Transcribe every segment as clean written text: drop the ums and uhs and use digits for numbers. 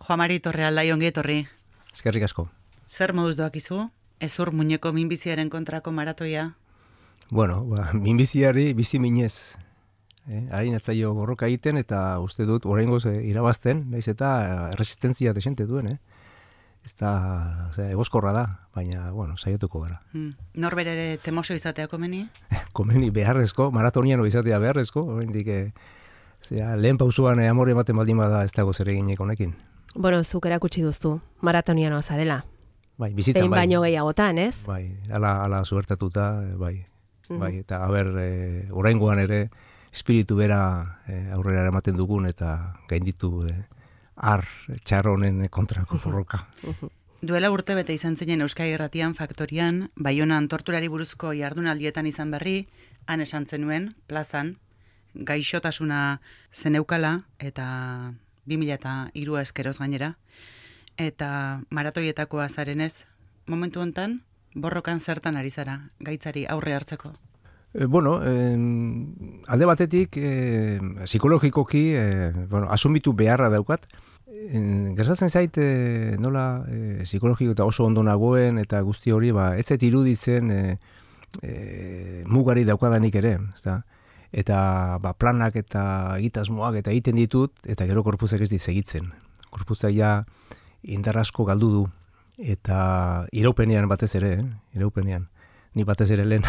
Juan Mari Torrealdai ongi etorri. Eskerrik asko. Zer moduz doakizu? Ezur muñeko minbiziaren kontrako maratoia? Bueno, minbiziari bizi minez. Harin atzaio borroka egiten eta uste dut oraingoz irabazten, naiz eta resistentzia desente duen, Ez da, egoskorra da, baina, saiatuko gara. Norbere ere temoso izatea komeni? Komeni beharrezko, maratoniano izatea beharrezko, oraindik lehen pausuan amore ematen baldin bada ez dago zer eginek honekin. Bueno, zuk erakutsi duzu, maratonianoa zarela. Bai, bizitzan bai. Baino gehiagotan, ez? Bai, ala zuertatuta, bai. Bai, eta oraingoan ere espiritu bera aurrera ematen dugun eta gainditu txarro honen kontrako borroka. Duela urte bete izan zinen Euskadi Irratian Faktorian, Baionan torturari buruzko jardunaldietan izan berri, han esan zenuen, plazan, gaixotasuna zeneukala eta 2003 eskeroz gainera, eta maratoietakoa zarenez, momentu hontan, borrokan zertan ari zara, gaitzari aurre hartzeko? Alde batetik, psikologikoki, asumitu beharra daukat. Gertatzen zait, nola psikologiko eta oso ondo nagoen eta guzti hori, ez zait iruditzen mugari daukadanik ere, ezta? Eta planak eta egitasmoak eta egiten ditut, eta gero korpuzak ez dit segitzen. Korpuzak ja indar asko galdu du, eta iraupenean batez ere, iraupenean. Ni batez ere lehen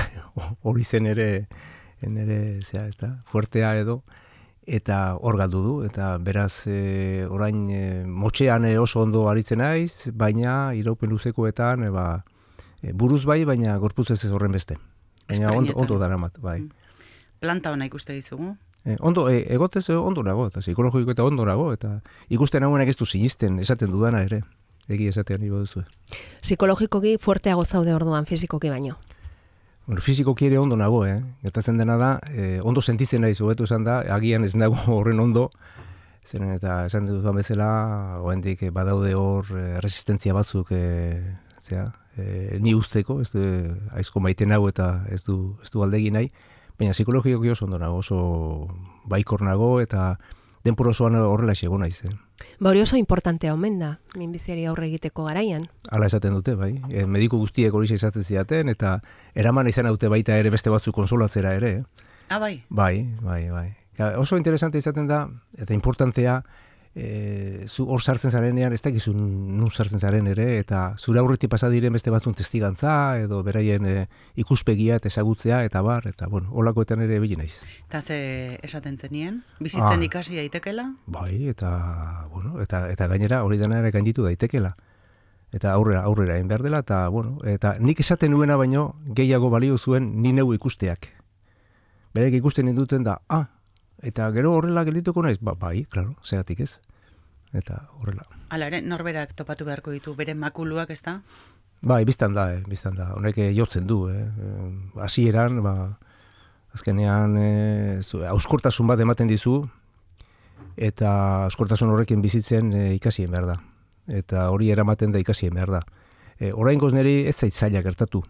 hori zen ere fuertea edo, eta hor galdu du, eta beraz orain motxean oso ondo aritzen naiz, baina iraupen luzekoetan buruz bai, baina gorputz ez horren beste. Baina ondo daramat, bai. Planta hona ikuste dizugu? Ondo, egotez ondo nago, eta psikologiko eta ondo nago, eta ikusten nagoenak ez du sinisten, esaten dudana ere, egi esatean ibo duzu. Psikologikoki fuerteago zaude orduan, fizikoki baino? Fizikoki ere ondo nago, gertatzen dena da, ondo sentitzen nahi hobetu esan da, agian ez nago horren ondo, zeren eta esan duzuan bezala, oraindik badaude hor resistentzia batzuk, ni usteko, ez du aizko maite nago eta ez du aldegi nahi, baina psikologikoki oso ondo nago, oso baikor nago eta denpor osoan horrela xego naiz. Hori oso importantea omen da, minbiziari aurre egiteko garaian. Hala esaten dute, bai. Mediku guztiek hori izaten zidaten, eta eraman izan dute baita ere beste batzuk konsolatzera ere. Bai? Bai. Oso interesante izaten da, eta importantea, zu hor sartzen zarenean, ez dakizu nun sartzen zaren ere, eta zure aurretik pasa diren beste batzun testigantza, edo beraien ikuspegia eta ezagutzea, eta holakoetan ere bili naiz. Eta ze esaten zenien? Bizitzen ikasi daitekela? Bai, eta gainera hori dena ere gainditu daitekela. Eta aurrera egin behar dela, eta nik esaten nuena baino gehiago balio zuen ni neu ikusteak. Berek ikusten induten da, eta gero horrela geldituko naiz? Bai, klaro, zegatik ez. Eta horrela. Hala ere, norberak topatu beharko ditu, bere makuluak, ez da? Bai, biztan da. Honek jotzen du, hasieran, azkenean, auskortasun bat ematen dizu, eta auskortasun horrekin bizitzen ikasien behar da. Eta hori eramaten da ikasien behar da. Oraingoz niri ez zait zaila gertatu.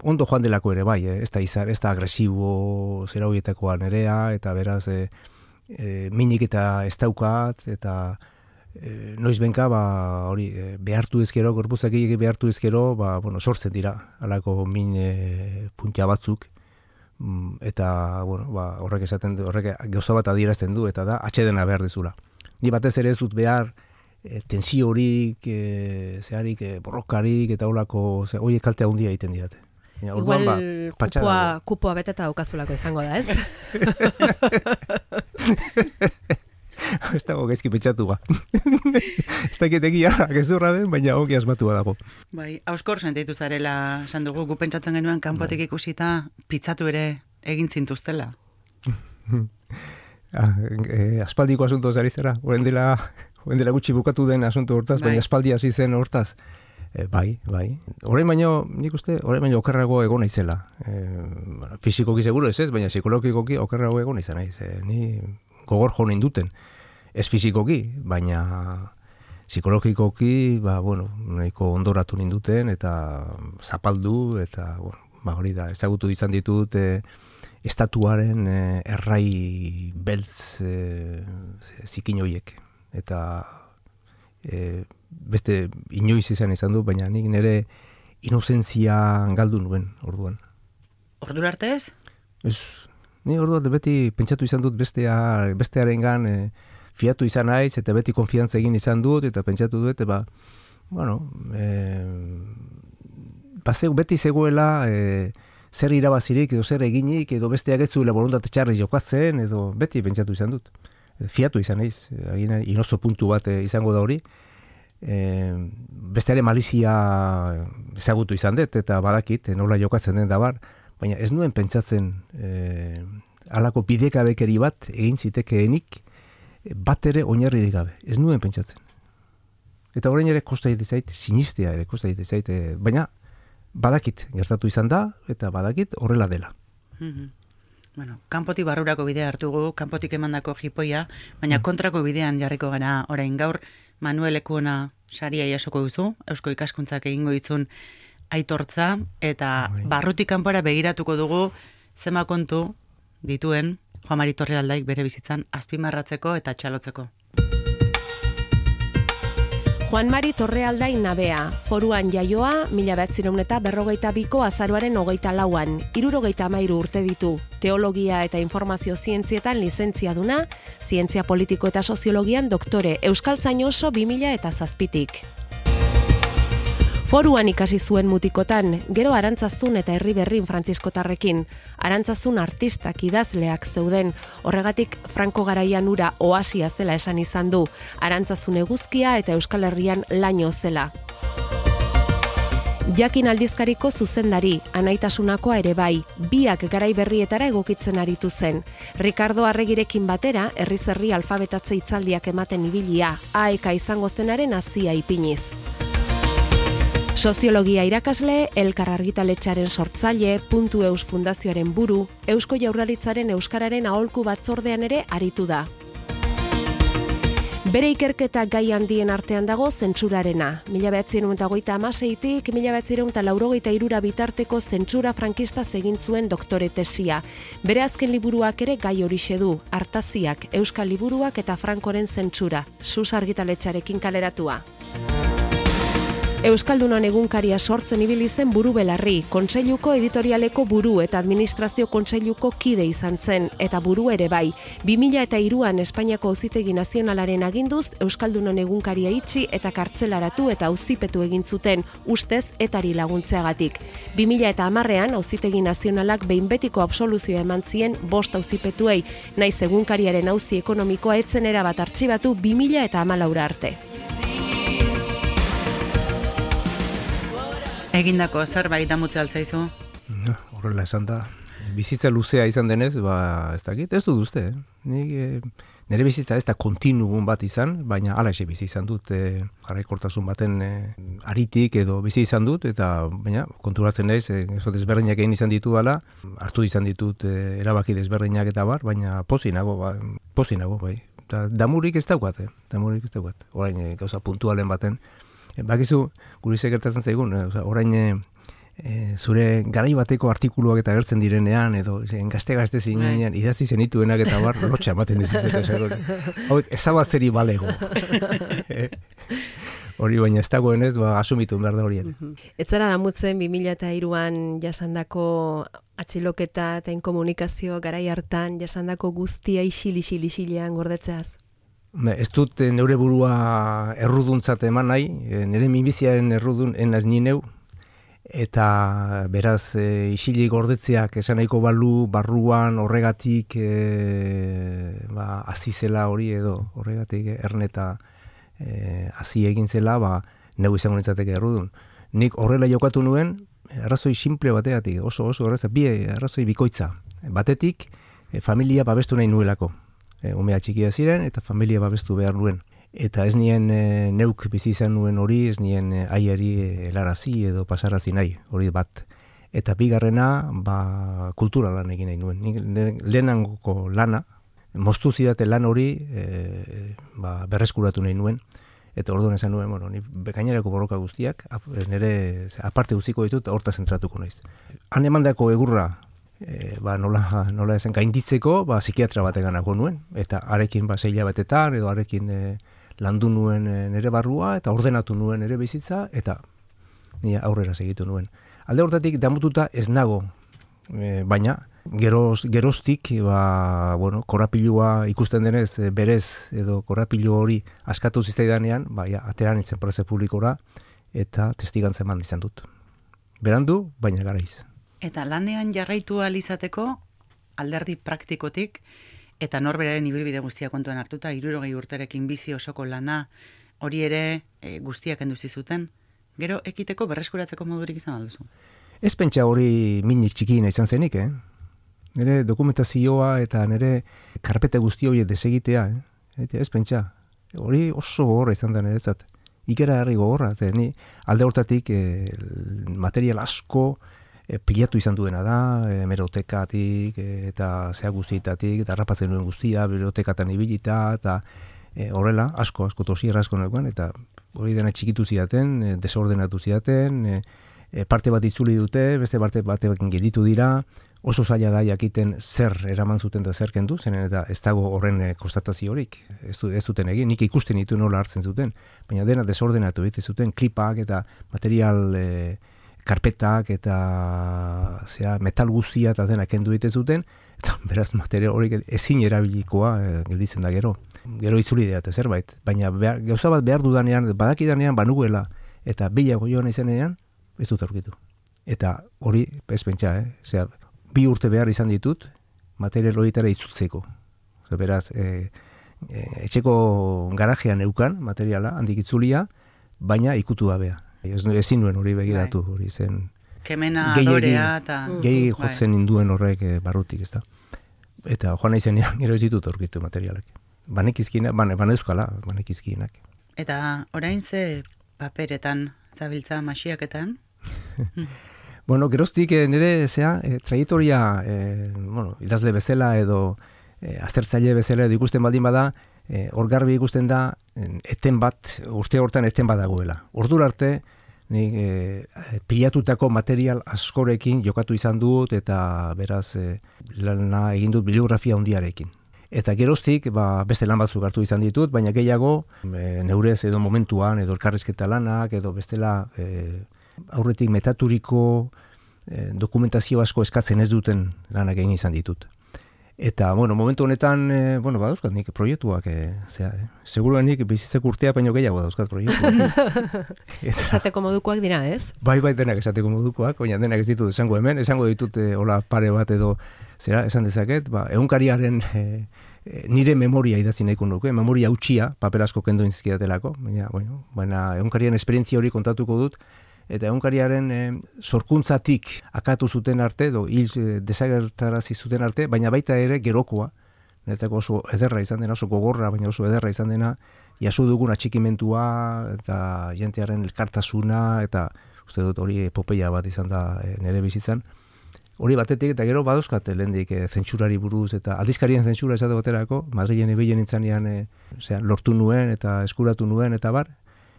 Ondo joan delako ere bai, ez da agresibo zera horietakoa nerea, eta beraz minik eta ez daukat, eta noiz benka hori behartu ezkero, gorpuzak behartu ezkero, sortzen dira, alako min puntia batzuk, eta horrek esaten du, horrek gauza bat adierazten du, eta da atxedena behar dezula. Ni batez ere ez dut behar tensio horik, borrokarik, eta holako, horiek kaltea handia egiten didate. Igual kupoa beteta daukazulako izango da, ez? Ez dago gaizki pentsatu ba. Ez dakit egia, gezurra den, baina ongi asmatua dago. Bai, hauskor sentitu zarela, esan dugu, gu pentsatzen genuen kanpotik ikusita, pitzatu ere egin zintuztela. Aspaldiko asunto zari zara, oen dela gutxi bukatu den asunto hortaz, baina aspaldi hasi zen hortaz. Bai. Orain baino okerrago egon naizela. Fisikoki seguro ez, baina psikologikoki okerrago egon naizela naiz. Ni gogor jo ninduten. Ez fisikoki, baina psikologikoki, nahiko ondoratu ninduten eta zapaldu eta hori da, ezagutu izan ditut estatuaren errai beltz zikin horiek. eta beste inoiz izan du, baina nik nire inozentzia galdu nuen orduan. Ordura arte ez? Ez, ni orduan beti pentsatu izan dut bestearengan fiatu izan naiz, eta beti konfiantza egin izan dut, eta pentsatu dut, beti zegoela zer irabazirik, edo zer eginik, edo besteak ez zuela borontate txarri jokatzen, edo beti pentsatu izan dut. Fiatu izan naiz, inozo puntu bat izango da hori. Besteare malizia ezagutu izan dut, eta badakit, nola jokatzen den dabar, baina ez nuen pentsatzen halako bidekabekeri bat egin zitekeenik bat ere oinarririk gabe. Ez nuen pentsatzen. Eta orain ere kosta egite zait, sinistea ere kosta egite zait, baina badakit gertatu izan da, eta badakit horrela dela. Bueno, kanpotik barrurako bidea hartugu, kanpotik emandako jipoia, baina kontrako bidean jarriko gara orain gaur, Manuel Lekuona saria jasoko duzu, Eusko Ikaskuntzak egingo ditzun aitortza, eta barrutik kanpora begiratuko dugu zema kontu dituen Juan Mari Torrealdaik bere bizitzan azpimarratzeko eta txalotzeko. Juan Mari Torrealdai nabea, Foruan jaioa, 1952ko azaroaren 24an, 73 urte ditu. Teologia eta informazio zientzietan lizentziaduna, zientzia politiko eta soziologian doktore, Euskaltzain oso 2007tik. Foruan ikasi zuen mutikotan, gero Arantzazun eta Herriberrin frantziskotarrekin. Arantzazun artistak idazleak zeuden, horregatik Franko garaian ura oasia zela esan izan du, Arantzazun eguzkia eta Euskal Herrian laino zela. Jakin aldizkariko zuzendari, anaitasunakoa ere bai, biak garai berrietara egokitzen aritu zen. Ricardo Arregirekin batera, herriz herri alfabetatze hitzaldiak ematen ibilia, aeka izango zenaren hazia ipiniz. Soziologia irakasle, Elkar argitaletxearen sortzaile, Puntu.eus fundazioaren buru, Eusko Jaurlaritzaren Euskararen aholku batzordean ere aritu da. Bere ikerketa gai handien artean dago zentsurarena. 1956tik 1983 bitarteko zentsura frankista egin zuen doktore tesia. Bere azken liburuak ere gai horixe du, Artaziak, Euskal liburuak eta Frankoren zentsura, Sus argitaletxearekin kaleratua. Euskaldunon egunkaria sortzen ibili zen buru belarri, kontseiluko editorialeko buru eta administrazio kontseiluko kide izan zen, eta buru ere bai. 2003an Espainiako Auzitegi Nazionalaren aginduz, Euskaldunon egunkaria itxi eta kartzelaratu eta auzipetu egin zuten, ustez etari laguntzeagatik. 2010an Auzitegi Nazionalak behin betiko absoluzioa eman zien 5 auzipetuei, naiz egunkariaren auzi ekonomikoa etzen erabat artxibatu 2014 arte. Egindako zerbait damutze altzaizu? Horrela esan da. Bizitza luzea izan denez, ez dakit, ez dut uste. Nire bizitza ez da kontinuum bat izan, baina alaxe bizi izan dut, jarraikortasun baten aritik edo bizi izan dut, eta baina konturatzen naiz, desberdinak egin izan ditu dela, hartu izan ditut erabaki desberdinak eta bar, baina pozi nago, bai. Damurik ez daukat, orain gauza puntualen baten. Bakizu, guri gertatzen zaigun, orain zure garai bateko artikuluak eta agertzen direnean, edo gazte zinean, idatzi zenituenak eta bar, lotxa ematen dizutet. Hauek, ezabatzeri balego. Hori baina ez dagoenez, asumitu behar da horien. Ez zara damutzen 2003an jasandako atxiloketa eta inkomunikazio garai hartan jasandako guztia isilean gordetzeaz? Ez dut neure burua erruduntzat eman nahi, nire minbiziaren errudun enaz nineu, eta beraz isili gordetzeak esan nahiko balu barruan horregatik azizela hori edo horregatik erneta hazi egin zela, neu izango nintzateke errudun. Nik horrela jokatu nuen, arrazoi simple bategatik, oso erraza, arrazoi bikoitza. Batetik, familia babestu nahi nuelako. Umea txikia ziren eta familia babestu behar nuen. Eta ez nien neuk bizi izan nuen hori, ez nien aiari helarazi edo pasarazi nahi, hori bat. Eta bigarrena, kultura lan egin nahi nuen. Lehenangoko lana, moztu zidate lan hori berreskuratu nahi nuen. Eta orduan esan nuen, ni gainerako borroka guztiak, nire aparte guztiko ditut, horta zentratuko naiz. Han emandako egurra, nola esan gainditzeko, psikiatra bateganako nuen, eta arekin 6 hilabetetan, edo arekin landu nuen nere barrua, eta ordenatu nuen nere bizitza, eta ni aurrera segitu nuen. Alde hortatik damututa ez nago, baina geroztik, korapilua ikusten denez berez, edo korapilu hori askatu zitzaidanean, ateran nintzen prese publikora, eta testigantza eman izan dut. Berandu, baina garaiz. Eta lanean jarraitu ahal izateko, alderdi praktikotik, eta norberaren ibilbide guztia kontuan hartuta, 60 urterekin bizi osoko lana, hori ere guztiak enduzi zuten, gero ekiteko berreskuratzeko modurik izan alduzu? Ez pentsa hori minik txikiena izan zenik, Nire dokumentazioa eta nire karpete guzti hori desegitea, Ez pentsa, hori oso gogorra izan da niretzat. Ikera herri gogorra, ni alde hortatik material asko pilatu izan duena da, hemerotekatik eta zea guztietatik, eta harrapatzen nuen guztia, bibliotekatan ibilita, eta horrela, asko tosierra asko nekoan, eta hori dena txikitu zidaten, desordenatu zidaten, parte bat itzuli dute, beste parte batekin gelditu dira, oso zaila da jakiten zer eraman zuten da zer kendu, zenen eta ez dago horren konstatazio horik, ez duten egin, nik ikusten ditu nola hartzen zuten, baina dena desordenatu egiten zuten, klipak eta material karpetak eta metal guztia eta dena kendu egiten zuten, eta beraz material horik ezin erabilikoa gelditzen da gero. Gero itzuli dira zerbait, baina gauza bat behar dudanean, badakidanean banuela, eta bilago joan izanean, ez dut aurkitu. Eta hori, ez pentsa, 2 urte behar izan ditut, material horietara itzultzeko. Beraz, etxeko garajean neukan materiala, handik itzulia, baina ikutu gabea. Ezin nuen hori begiratu, hori zen... Kemena, adorea, eta... Gehi jotzen induen horrek barrutik, ez da. Eta joan nahi zenean, gero ez ditut aurkitu materialak. Banekizkienak, banekizkienak. Eta orain ze paperetan zabiltza masiaketan? Bueno, geroztik nire traiektoria, idazle bezala edo aztertzaile bezala edo ikusten baldin bada, hor garbi ikusten da, urte hortan eten bat dagoela. Ordura arte, pilatutako material askorekin jokatu izan dut, eta beraz lana egin dut bibliografia handiarekin. Eta geroztik, beste lan batzuk hartu izan ditut, baina gehiago, neurez edo momentuan, edo elkarrizketa lanak, edo bestela aurretik metaturiko dokumentazio asko eskatzen ez duten lanak egin izan ditut. Eta, momentu honetan, badauzkat nik proiektuak, seguruan nik bizitzeko urtea baino gehiago dauzkat proiektuak. Esateko modukoak dira, ez? Bai, denak esateko modukoak, baina denak ez ditut esango hemen, esango ditut hola pare bat edo, esan dezaket, egunkariaren nire memoria idatzi nahiko nuke, memoria hautsia, paper asko kendu inzkidatelako, baina egunkariaren esperientzia hori kontatuko dut, eta egunkariaren sorkuntzatik akatu zuten arte, hil desagertarazi zuten arte, baina baita ere gerokoa, niretzako oso ederra izan dena, oso gogorra, baina oso ederra izan dena, jaso dugun atxikimentua, eta jentearen elkartasuna, eta uste dut hori epopeia bat izan da nire bizitzan. Hori batetik, eta gero badauzkat lehendik zentsurari buruz, eta aldizkarien zentsura esate baterako, Madrilen ibilen nintzanean lortu nuen, eta eskuratu nuen, eta bar,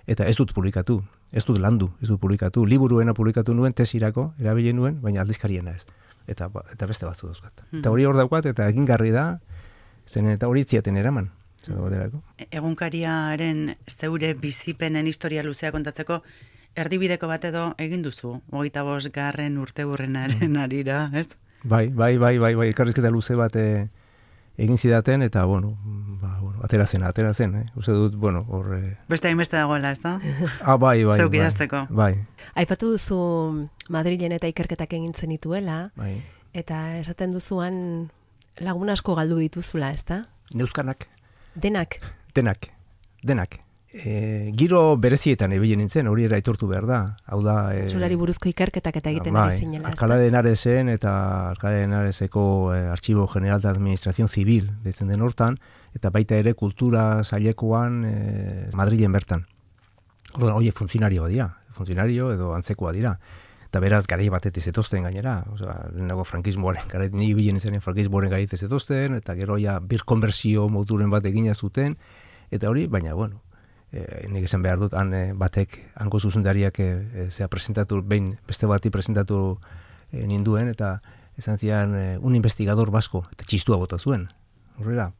eta ez dut publikatu. Ez dut landu, ez dut publikatu. Liburuena publikatu nuen, tesirako, erabile nuen, baina aldizkariena ez. Eta beste batzu dauzkat. Eta hori hor daukat, eta egingarri da, zen eta hori itziaten eraman. Egunkariaren zeure bizipenen historia luzea kontatzeko, erdibideko bat edo egin duzu, 25. urteurrenaren arira, ez? Bai, elkarrizketa luze bat egin zidaten, eta, atera zen, uste dut, hor... Beste hainbeste dagoela, ez da? Bai. Zeuk idazteko. Bai. Aipatu duzu Madrilen eta ikerketak egin zenituela, eta esaten duzuan lagun asko galdu dituzula, ez da? Neuzkanak. Denak. Giro berezietan ebilen nintzen, hori era aitortu behar da. Hau da... Zentsurari buruzko ikerketak eta egiten ari zinela. Alcalá de Henaresek eta Alcalá de Henareseko Archivo General de Administración Civil deitzen den hortan, eta baita ere kultura sailekoan Madrilen bertan. Hori funtzionarioa dira, edo antzekoa dira. Eta beraz, garai batetik zetozten gainera. Lehenago frankismoaren, ni bilen izanen frankismoaren garai zetozten, eta gero ja birkonbersio moduren bat egina zuten, eta hori, baina, nik esan behar dut, hango zuzendariak presentatu, behin beste bati presentatu ninduen, eta esan zian un investigador basko, eta txistua bota zuen. Horrela,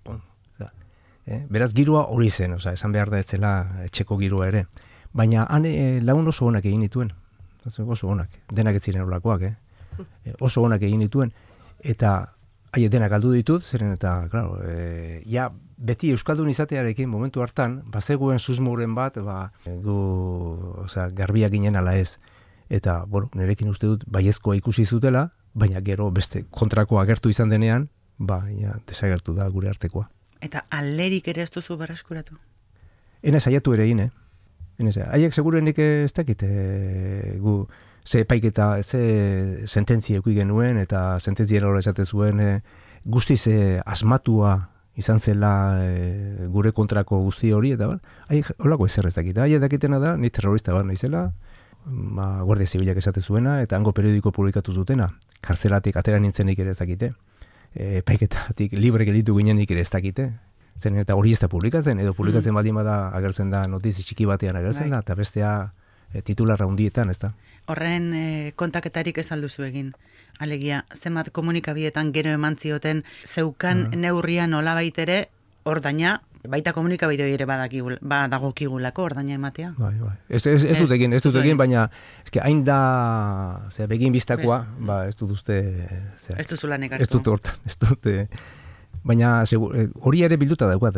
Beraz, giroa hori zen, esan behar da ez zela etxeko giroa ere. Baina lagun oso onak egin dituen. Oso onak, denak ez ziren olakoak, oso onak egin dituen. Eta denak galdu ditut, zeren eta, claro, beti euskaldun izatearekin momentu hartan, bazegoen susmoren bat, garbiak ginen ala ez. Eta, nirekin uste dut, baiezkoa ikusi zutela, baina gero beste kontrakoa agertu izan denean, desagertu da gure artekoa. Eta alderik ere ez duzu berreskuratu? Ena saiatu ere egin, Haiek segurenik ez dakit, ze epaiketa, ze sententzia eduki genuen, eta sententzia hori esate zuen, guztiz asmatua izan zela gure kontrako guzti hori, eta holako ezer ez dakit. Haiek dakitena da, ni terrorista bat naizela, Guardia Zibilak esate zuena, eta hango periodiko publikatu zutena, kartzelatik atera nintzenik ere ez dakite, epaiketatik libre gelditu ginenik ere ez dakite, zen eta hori ez da publikatzen, edo publikatzen baldin bada agertzen da notizi txiki batean agertzen da, eta bestea titularra hundietan, ez da. Horren kontaketarik ez alduzu egin. Alegia, zenbat komunikabietan gero eman zioten zeukan neurria nolabait ere ordaina, baita komunikabideo ere badagokigulako ordaina ematea. Bai. Ez dut egin, baina hain da begin biztakoa, ez dut uste... Ez duzu lanek hartu. Ez dut hortan, ez dut... Baina hori ere bilduta daukat,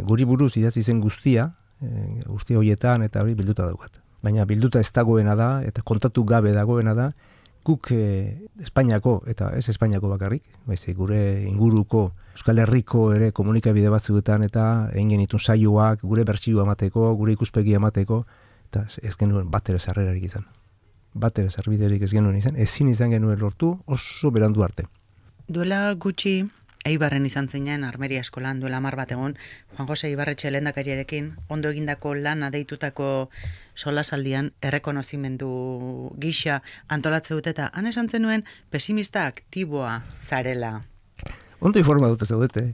guri buruz idatzi zen guztia horietan eta hori bilduta daukat. Baina bilduta ez dagoena da, eta kontatu gabe dagoena da, guk Espainiako, eta ez Espainiako bakarrik, gure inguruko Euskal Herriko ere komunikabide batzuetan eta egin genitun saioak, gure bertsioa emateko, gure ikuspegia emateko, eta ez genuen bat ere sarrerarik izan. Bat ere sarbiderik ez genuen izan, ezin izan genuen lortu oso berandu arte. Duela gutxi, Eibarren izan zeinen, Armeria eskolan duela 10 bat egon, Juan Jose Ibarretxe lehendakariarekin, ondo egindako lana deitutako solasaldian errekonozimendu gisa antolatze dute eta han esan zenuen pesimista aktiboa zarela. Ondo informa dute zaudete.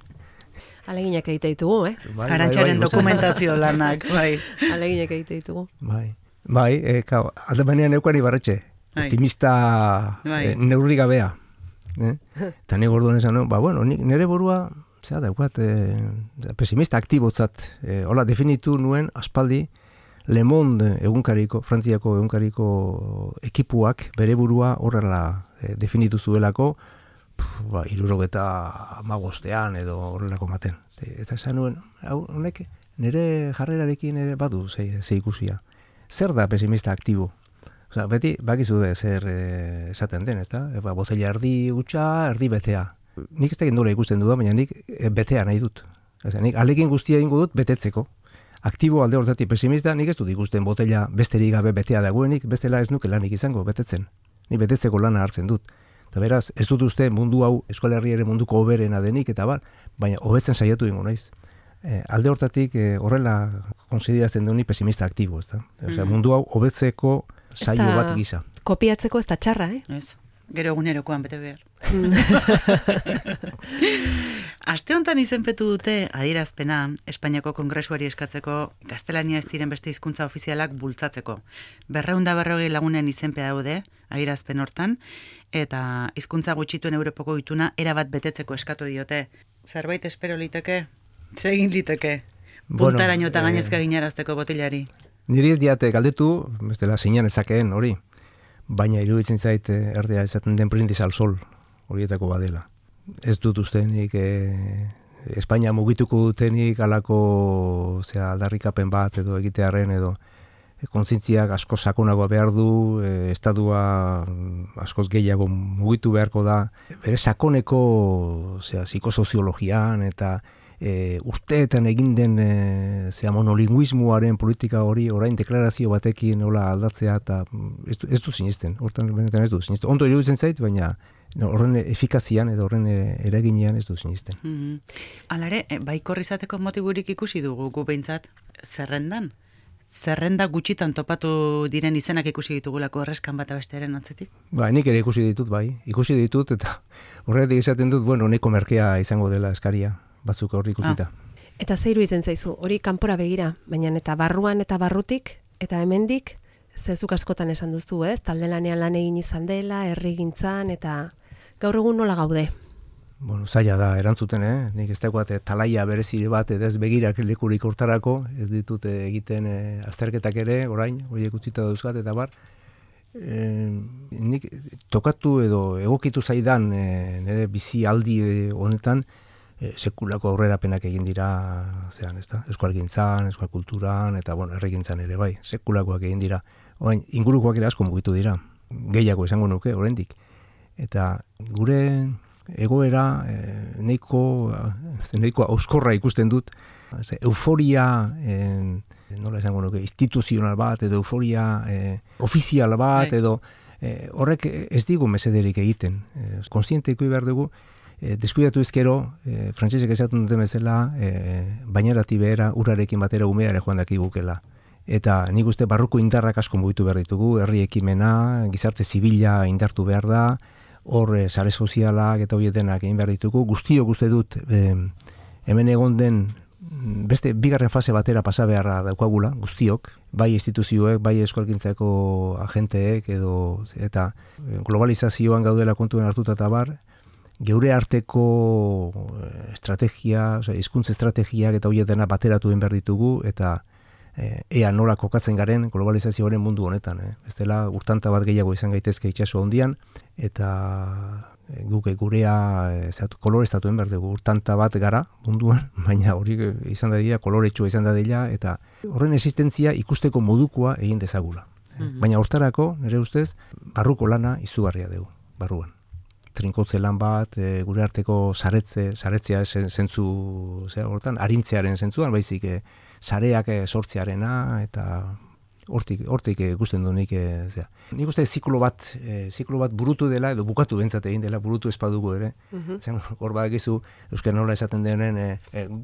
Aleginak egite ditugu, Arantxaren dokumentazio lanak, bai. Aleginak egite ditugu. Alde banean eukan Ibarretxe, optimista neurri gabea. Eta nik orduan esan, nire burua daukat pesimista aktibotzat, hola definitu nuen aspaldi Le Monde egunkariko, Frantziako egunkariko ekipuak bere burua horrela definitu zuelako 75 edo horrelako maten. Eta esan nuen, honek nire jarrerarekin ere badu ze ikusia. Zer da pesimista aktibo? Beti, bakizu de zer esaten den, ezta? Botella erdi gutxa, erdi betea. Nik ez da gendora ikusten du da, baina nik betea nahi dut. Nik alekin guztia ingo dut betetzeko. Aktibo alde horretatik pesimista, nik ez dut ikusten botella besterik gabe betea dagoenik, bestela ez nuke lanik izango betetzen. Nik betetzeko lana hartzen dut. Eta beraz, ez dut uste mundu hau Euskal Herriaren munduko hoberena denik, eta baina hobetzen saiatu ingo naiz. Alde horretatik horrela konsideratzen du ni pesimista aktibo, ezta? Mundu hau hobetzeko saio bat gisa. Kopiatzeko ez da txarra, Ez. Gero egunerokoan bete behar. Aste honetan izenpetu dute adierazpena Espainiako Kongresuari eskatzeko gaztelania ez diren beste hizkuntza ofizialak bultzatzeko. 240 lagunen izenpea daude adierazpen hortan, eta hizkuntza gutxituen Europako ituna erabat betetzeko eskatu diote. Zerbait espero liteke? Zer egin liteke? Puntaraino eta gainezka ginarazteko botilari. Niri ez diate galdetu, bestela zeinan ezakeen hori, baina iruditzen zait erdea esaten den brindis al sol horietako badela. Ez dut ustenik Espainia mugituko dutenik alako aldarrikapen bat edo egitearen edo kontzientziak asko sakonagoa behar du, estadua askoz gehiago mugitu beharko da, bere sakoneko psikosoziologian eta urteetan egin den monolinguismoaren politika hori orain deklarazio batekin nola aldatzea eta ez du sinisten, hortan benetan ez du sinisten. Ondo iruditzen zait, baina horren efikazian edo horren eraginean ez du sinisten. Alare, baikor izateko motiburik ikusi dugu gu behintzat zerrenda gutxitan topatu diren izenak ikusi ditugulako erreskan bat abestearen atzetik? Nik ere ikusi ditut eta horretik esaten dut, neko merkea izango dela eskaria. Batzuk horri ikusita. Eta ze iruditzen zaizu, hori kanpora begira, baina eta barruan eta barrutik, eta hemendik, zezuk askotan esan duzu, talde lanean lan egin izan dela, herrigintzan, eta gaur egun nola gaude? Bueno, zaila da erantzuten, nik ez dagoat talaia berezire bat ez begirak lekurik hortarako, ez ditut egiten azterketak ere, orain, horiek utzita dauzkat, eta bar, nik tokatu edo egokitu zaidan nire bizi aldi honetan, sekulako aurrerapenak egin dira, zean, ezta? Euskalgintzan, euskal kulturan, eta bueno, herrigintzan ere bai, sekulakoak egin dira. Orain, ingurukoak ere asko mugitu dira, gehiago esango nuke, oraindik. Eta gure egoera nahiko auskorra ikusten dut, euforia, nola esango nuke, instituzional bat, edo euforia ofizial bat, edo horrek ez digu mesederik egiten. Konstienteiko behar dugu, deskuidatu ezkero, frantsesek esaten duten bezala, bainerati behera, urarekin batera umeare joan dakigukela. Eta nik uste barruko indarrak asko mugitu behar ditugu, herri ekimena, gizarte zibila indartu behar da, hor sare sozialak eta horiek denak egin behar ditugu. Guztiok uste dut hemen egon den beste bigarren fase batera pasa beharra daukagula, guztiok, bai instituzioek, bai euskalgintzako agenteek, eta globalizazioan gaudela kontuen hartuta eta bar, geure arteko estrategia, hizkuntza estrategiak eta horiek dena bateratu egin behar ditugu, eta ea nola kokatzen garen globalizazioaren mundu honetan. Ez dela urtanta bat gehiago izan gaitezke itsaso handian, eta guk gurea koloreztatu egin behar dugu, urtanta bat gara munduan, baina hori izan dadila, koloretsua izan dadila, eta horren existentzia ikusteko modukoa egin dezagula. Baina hortarako, nire ustez, barruko lana izugarria dugu, barruan. Trinkotze lan bat, gure arteko saretzea zentzu, hortan, arintzearen zentzuan, baizik sareak sortzearena, eta hortik ikusten du nik. Nik uste ziklo bat burutu dela, edo bukatu bentsat egin dela, burutu espadugu ere. Hor badakizu, euskara nola esaten denen,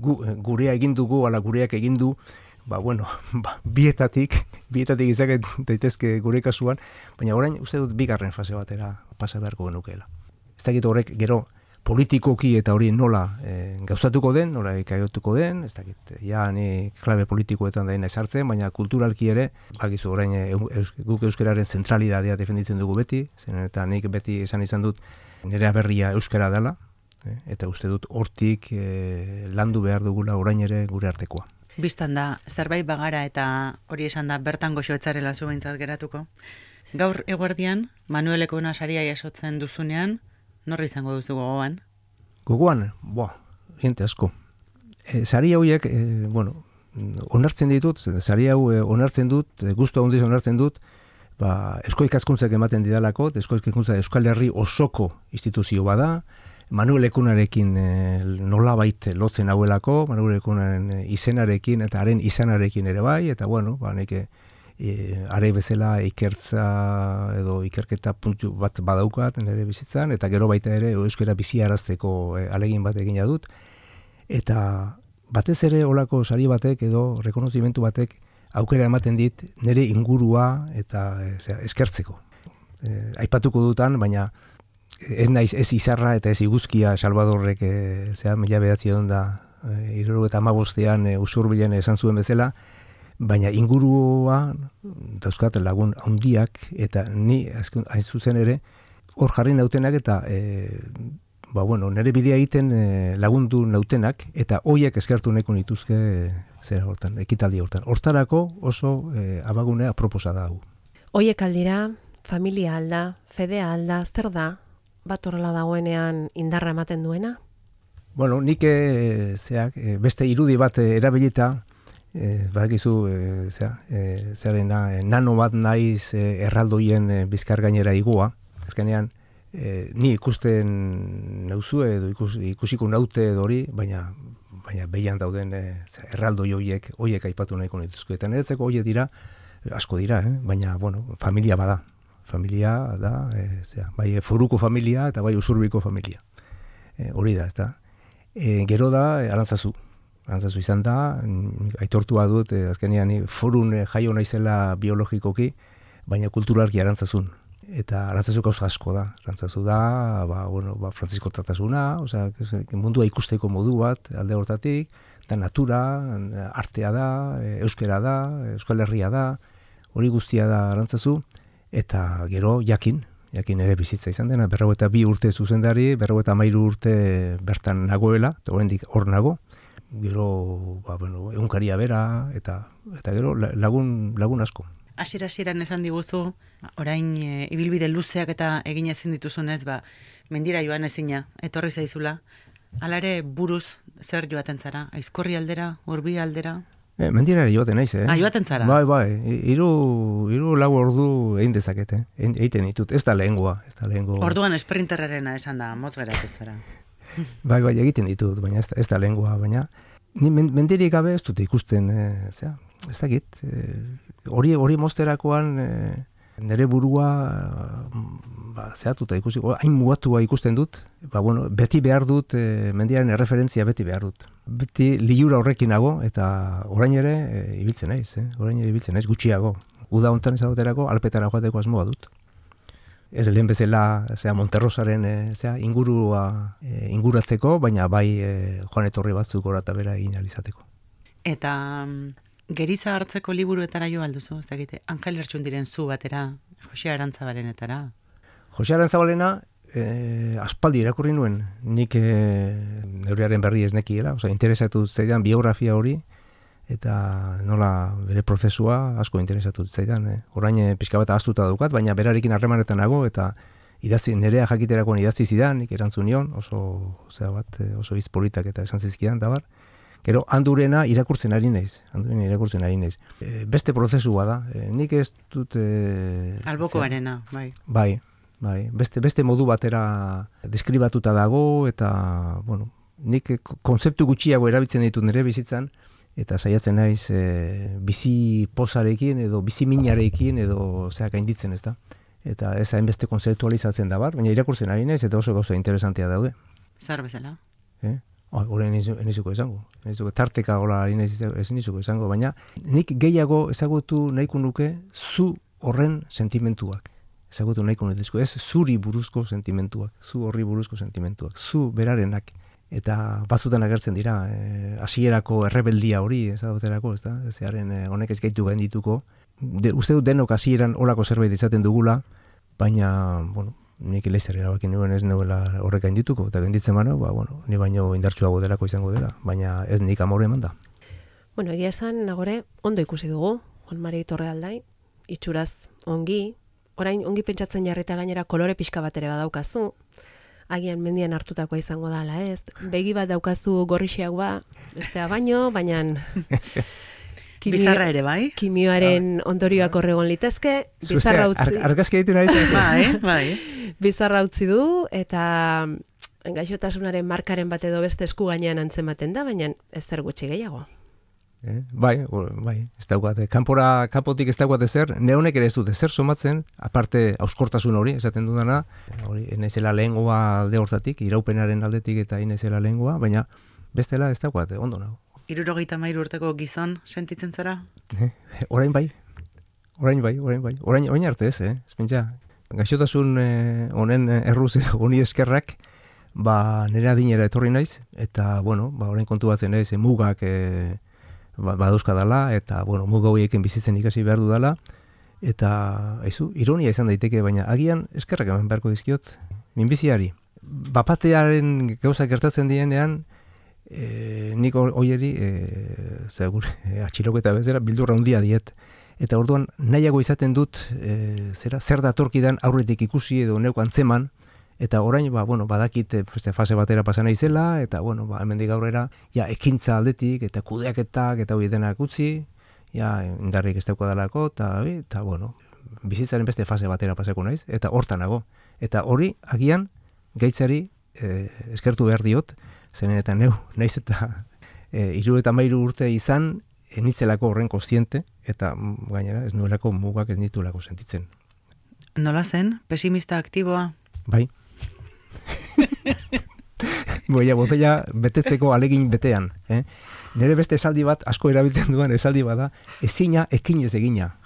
gurea egin dugu, ala gureak egin du, bietatik izak daitezke gure kasuan, baina orain uste dut bigarren fase batera pasa beharko genukeela. Ez dakit horrek gero politikoki eta hori nola gauzatuko den, nola ikaiotuko den, ez dakit, ni klabe politikoetan da esartzen, baina kulturalki ere, bakizu orain guk euskararen zentralidadea defenditzen dugu beti, zen eta nik beti izan dut nire aberria euskara dela, eta uste dut hortik landu behar dugula orain ere gure artekoa. Bistan da, zerbait bagara eta hori esan da bertan goxoetzarela zu behintzat geratuko. Gaur eguerdian, Manueleko saria jasotzen duzunean, norri izango duzu gogoan? Gogoan? Gente asko. Sari hauek, onartzen ditut, sari hau onartzen dut, gustu handiz onartzen dut, Eusko Ikaskuntzak ematen didalako, Eusko Ikaskuntza Euskal Herri osoko instituzio bada, Manuel Ekunarekin nolabait lotzen hauelako, Manuel Ekunaren izenarekin eta haren izanarekin ere bai, eta neke are bezala ikertza edo ikerketa puntu bat badaukat nire bizitzan, eta gero baita ere euskara biziarazteko alegin bat egina dut, eta batez ere olako sari batek edo rekonozimentu batek aukera ematen dit nire ingurua eta eskertzeko. Aipatuko dutan, baina ez naiz ez izarra eta ez iguzkia Salvadorrek 1975 Usurbilen esan zuen bezala, baina ingurua dauzkat lagun handiak, eta ni hain zuzen ere hor jarri nautenak, eta nire bidea egiten lagundu nautenak, eta hoiek eskertu nahiko nituzke ekitaldi hortan. Hortarako oso abagunea proposa da hau. Hoiek aldira, familia alda, fedea alda, zer da? Bat horrela dagoenean indarra ematen duena? Nik beste irudi bat erabilita, badakizu zerrena nano bat naiz erraldoien bizkar gainera igoa. Azkenean ni ikusten nauzu edo ikusiko naute edo hori, baina behian dauden erraldoi horiek aipatu nahiko nituzko. Eta niretzeko horiek dira, asko dira, baina familia bada. Familia da, bai foruko familia eta bai usurbiko familia. Hori da, ezta. Gero da, Arantzazu. Arantzazu izan da, aitortua dut, azkenean forun jaio naizela biologikoki, baina kulturalki Arantzazun. Eta Arantzazu gauza asko da. Arantzazu da, Frantzisko tratasuna, mundua ikusteko modu bat, alde hortatik, da natura, artea da, euskera da, Euskal Herria da, hori guztia da Arantzazu, eta gero jakin, jakin ere bizitza izan dena, 42 urte zuzendari, 53 urte bertan nagoela, eta oraindik hor nago, gero, egunkaria bera, eta gero lagun asko. Hasieran esan diguzu, orain ibilbide luzeak eta egin ezin dituzunez, mendira joan ezina, etorri zaizula, hala ere buruz zer joaten zara, Aizkorri aldera, Urbi aldera? Mendira joaten naiz, Joaten zara? Bai, hiru lau ordu egin dezakete, egiten ditut, ez da lehengoa. Orduan esprinterrarena esan da, motz geratu zara. Bai, egiten ditut, baina ez da lehengoa, baina ni mendirik gabe ez dute ikusten, ez dakit, hori mozterakoan nire burua zehatuta ikusi, hain mugatua ikusten dut, beti behar dut, mendiaren erreferentzia beti behar dut. Beti liura horrekin nago, eta orain ere ibiltzen naiz, gutxiago. Uda hontan ezaguterako, Alpetara joateko asmoa dut. Ez lehen bezala Monterrosaren inguratzeko, baina bai joan etorri batzuk gora eta bera egin alizateko. Eta Geriza hartzeko liburuetara jo alduzu, ez dakite, Angel Lertxundiren zu batera, Jose Arantzabalenetara. Jose Arantzabalena aspaldi irakurri nuen, nik neurriaren berri ez nekiela, interesatu zaidan biografia hori, eta nola bere prozesua asko interesatu zaidan. Orain pixka bat ahaztuta daukat, baina berarekin harremanetan nago, eta nerea jakiterakoan idatzi zidan, nik erantzun nion, oso hitz politak eta esan zizkidan, da bar. Gero, handurena irakurtzen ari naiz. Beste prozesua da. Nik ez dut... Albokoarena, bai. Bai. Beste modu batera deskribatuta dago, eta, nik konzeptu gutxiago erabiltzen ditut nire bizitzan, eta saiatzen naiz bizi pozarekin, edo bizi minarekin, edo gainditzen, ez da. Eta ez hainbeste konzeptualizatzen da bar, baina irakurtzen ari naiz, eta oso gauza interesantea daude. Zer bezala? Horren enizuko izango. Tarteka gola ez enizuko izango, baina nik gehiago ezagutu nahiko nuke zu horren sentimentuak. Ezagutu nahiko nuke, ez zuri buruzko sentimentuak, zu horri buruzko sentimentuak, zu berarenak. Eta batzutan agertzen dira, hasierako errebeldia hori, ezaguterako, ez da? Zearen honek ez gaitu gaindituko. Uste dut denok hasieran olako zerbait izaten dugula, baina, nik leizzer erabakin nuen ez nuela horrek gaindituko, eta gainditzen bano, ni baino indartsuago delako izango dela, baina ez nik amore eman da. Egia esan, nagore, ondo ikusi dugu, Juan Mari Torrealdai, itxuraz ongi, orain ongi pentsatzen jarrita gainera kolore pixka bat ere badaukazu, agian mendian hartutakoa izango da, ala ez, begi bat daukazu gorrixeagoa, bestea baino, baina... Bizarra ere, bai? Kimioaren ondorioak horregon litezke, bizarra utzi... Argazki egiten ari. Bai. Bizarra utzi du, eta gaixotasunaren markaren bat edo beste esku gainean antzematen da, baina ez zer gutxi gehiago. Bai, ez daukat. Kanpotik ez daukat ezer, neonek ere ez dut ezer somatzen, aparte auskortasun hori, esaten dudana, hori, enezela lehengoa alde hortatik, iraupenaren aldetik eta enezela lehengoa, baina bestela ez daukat, ondo nago. 73 urteko gizon sentitzen zara? Orain bai. Orain arte ez, Espentsa, gaixotasun honen erruz honi eskerrak, nire adinera etorri naiz, eta, orain kontu batzen ez, mugak badauzka dala, eta, muga horiekin bizitzen ikasi behar du dala, eta, ironia izan daiteke, baina agian eskerrak eman beharko dizkiot, minbiziari. Bapatearen gauzak gertatzen dienean, nik hoieri atxiloketa bezala bildurra handia diet, eta orduan nahiago izaten dut zer datorkidan aurretik ikusi edo neuk antzeman, eta orain badakit fase batera pasa naizela, eta hemendik aurrera ekintza aldetik eta kudeaketak eta hori denak utzi, indarrik ez dauka dalako, eta bizitzaren beste fase batera pasako naiz, eta hortan nago, eta hori agian gaitzari eskertu behar diot, zenen eta naiz eta 73 urte izan enitzelako horren kontziente, eta gainera ez nuelako mugak ez nitulako sentitzen. Nola zen? Pesimista aktiboa? Bai. Botella betetzeko alegin betean. Nire beste esaldi bat, asko erabiltzen duan esaldi bada, ezina ekinez egina.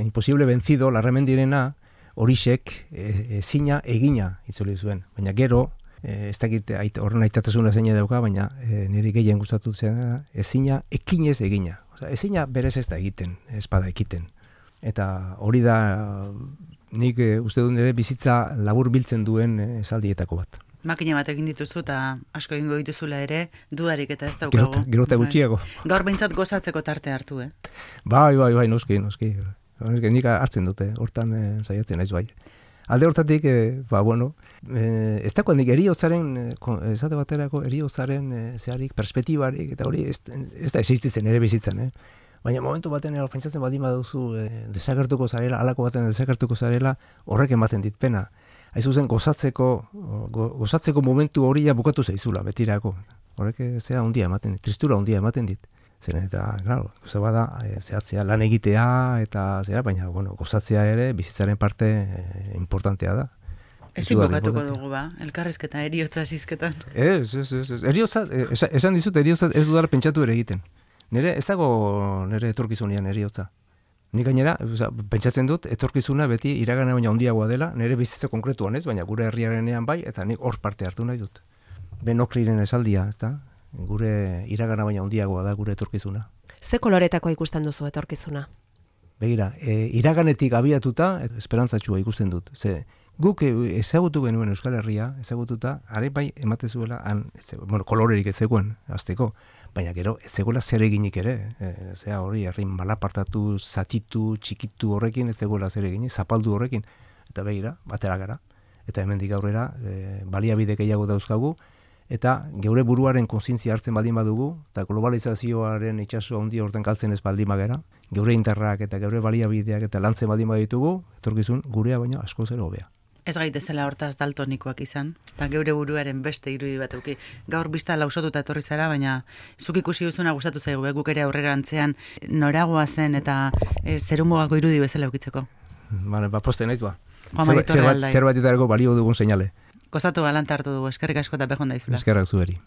Imposible vencido, larremendirena, horixek ezina egina itzuli zuen. Baina gero, ez dakit horren aitatasuna zeina dauka, baina niri gehien gustatu zen ezina ekinez egina. Ezina berez ez da egiten, ez bada ekiten. Eta hori da nik uste dut nire bizitza labur biltzen duen esaldietako bat. Makina bat egin dituzu eta asko egingo dituzula ere, dudarik eta ez daukagu. Gero eta gutxiago. Gaur behintzat gozatzeko tarte hartu, Bai, noski. Nik hartzen dute, hortan saiatzen naiz bai. Alde hortatik, ez dagoen nik eriotzaren, esate baterako eriotzaren zeharik, perspektibarik, eta hori ez da existitzen ere bizitzen, Baina momentu baten pentsatzen badin baduzu desagertuko zarela, halako baten desagertuko zarela, horrek ematen dit pena. Haiz zuzen gozatzeko momentu hori bukatu zaizula, betirako. Horrek zera ondia ematen dit, tristura ondia ematen dit. Zeren eta, claro, goza bada, zehatzea lan egitea eta zera, baina, gozatzea ere bizitzaren parte importantea da. Ezin bukatuko dugu elkarrizketa, eriotza zizketan. Ez. Eriotza, esan dizut, eriotza ez dudala pentsatu ere egiten. Ez dago nire etorkizunean eriotza. Nik gainera, pentsatzen dut, etorkizuna beti iragana baina handiagoa dela, nire bizitza konkretuan ez, baina gure herriarenean bai, eta nik hor parte hartu nahi dut. Ben Okriren esaldia, ez da? Gure iragana baina handiagoa da gure etorkizuna. Ze koloretako ikusten duzu etorkizuna? Begira, iraganetik abiatuta, esperantzatxua ikusten dut. Ze, guk ezagutu genuen Euskal Herria, ezagututa, are bai ematezuela, kolorerik ez zegoen, azteko. Baina gero, ez zegoela zer eginik ere, zera hori, herrin malapartatu, zatitu, txikitu horrekin, ez zegoela zer eginik, zapaldu horrekin, eta begira, batera gara. Eta hemendik aurrera, baliabide gehiago dauzkagu, eta geure buruaren kontzientzia hartzen baldin badugu, eta globalizazioaren itsaso handi horten galtzen ez baldin bagera, geure indarrak eta geure baliabideak eta lantzen baldin baditugu, etorkizun gurea baina asko zero hobea. Ez gaitezela hortaz daltonikoak izan, eta geure buruaren beste irudi bat euki. Gaur bizta lausotuta etorri zara, baina zuk ikusi duzuna gustatu zaigu, guk ere aurrerantzean noragoa zen eta zerumugako irudi bezala eukitzeko. Poste naiz ba. Zerbait balio dugun seinale. Gozatu galanta hartu dugu, eskerrik asko eta behon daizula. Eskerrak zueri.